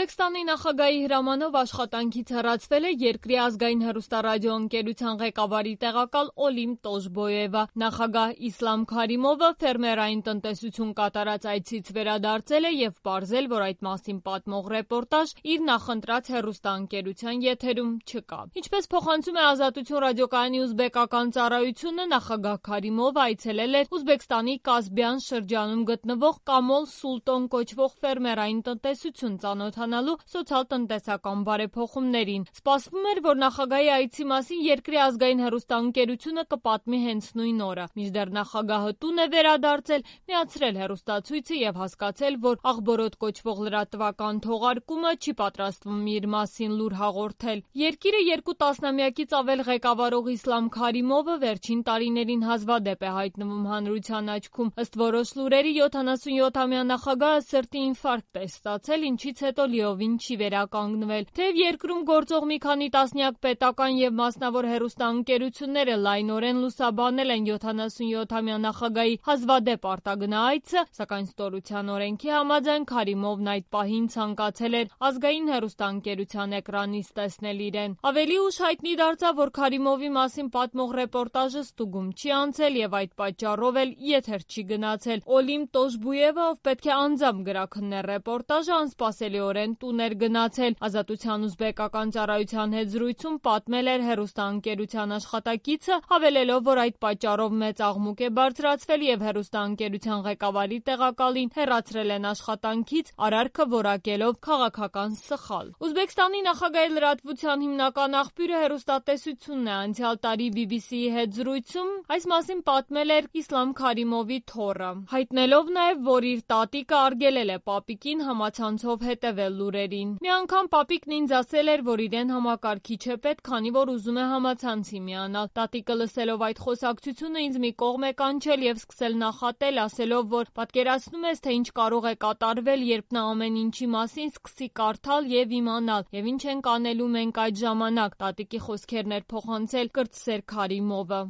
Ուզբեկստանի նախագահի հրամանով աշխատանքից հեռացվել է երկրի ազգային հեռուստառադիոընկերության ղեկավարի տեղակալ Օլիմ Տոշբոևը։ Նախագահ Իսլամ Քարիմովը ֆերմերային տնտեսություն կատարած այցից վերադարձել է եւ պարզել, որ այդ մասին պատմող ռեպորտաժ իր նախընտրած հեռուստաընկերության եթերում չկա։ Ինչպես փոխանցում է Ազատություն ռադիոկայանի ուզբեկական ծառայությունը, նախագահ Քարիմովը այցելել է Ուզբեկստանի Կասբյան շրջանում գտնվող Կամոլ Սուլտոն կոչվող ֆերմերային տնտեսություն ծանոթանալու սոցիալ-տնտեսական բարեփոխումներին։ Սպասվում էր, որ նախագահի այցի մասին երկրի ազգային հեռուստաընկերությունը կպատմի հենց նույն օրը։ Մինչդեռ նախագահը տուն է վերադարձել, միացրել հեռուստացույցը եւ հասկացել, որ Աղբորոտ կոչվող լրատվական թողարկումը չի պատրաստվում իր մասին լուր հաղորդել։ Երկիրը 2 տասնամյակից ավել ղեկավարող Իսլամ Քարիմովը վերջին տարիներին հազվադեպ է հայտնվում հանրության աչքում։ Ըստ որոշ լուրերի 77-ամյա նախագահը սրտի ինֆարկտ է ստացել, ինչից հետո լիովին չի վերականգնվել։ Թեև երկրում գործող մի քանի տասնյակ պետական եւ մասնավոր հեռուստաընկերությունները լայնորեն լուսաբանել են 77-ամյա նախագահի հազվադեպ արտագնա այցը, սակայն ստորության օրենքի համաձայն Քարիմովն այդ պահին ցանկացել էր ազգային հեռուստաընկերության էկրանից տեսնել իրեն։ Ավելի ուշ հայտնի դարձավ, որ Քարիմովի մասին պատմող ռեպորտաժը ստուգում չի անցել եւ այդ պատճառով էլ եթեր չի գնացել։ Օլիմ Տոշբոևը, ով պետք է անձամբ գրաքններ ռեպորտաժը, անսպասելիորեն տուն էր գնացել։ Ազատության ուզբեկական ծառայության հետ զրույցում պատմել էր հեռուստաընկերության աշխատակիցը, հավելելով, որ այդ պատճառով մեծ աղմուկ է բարձրացվել եւ հեռուստաընկերության ղեկավարի տեղակալին հեռացրել են աշխատանքից, արարքը որակելով քաղաքական սխալ։ Ուզբեկստանի նախագահի լրատվության հիմնական աղբյուրը հեռուստատեսությունն է։ Անցյալ տարի BBC-ի հետ զրույցում այս մասին պատմել էր Իսլամ Քարիմովի թոռը, հայտնելով նաեւ, որ իր տատիկը արգելել է պապիկին համացանցով հետևել լուրերին։ Մի անգամ պապիկն ինձ ասել էր, որ իրեն համակարգիչ է պետք, քանի որ ուզում է համացանցի միանալ։ Տատիկը լսելով այդ խոսակցությունը ինձ մի կողմ է կանչել եւ սկսել նախատել, ասելով, որ պատկերացնում ես, թե ինչ կարող է կատարվել, երբ նա ամեն ինչի մասին սկսի կարդալ եւ իմանալ, եւ ինչ ենք անելու մենք այդ ժամանակ։ Տատիկի խոսքերն էր փոխանցել կրտսեր Քարիմովը։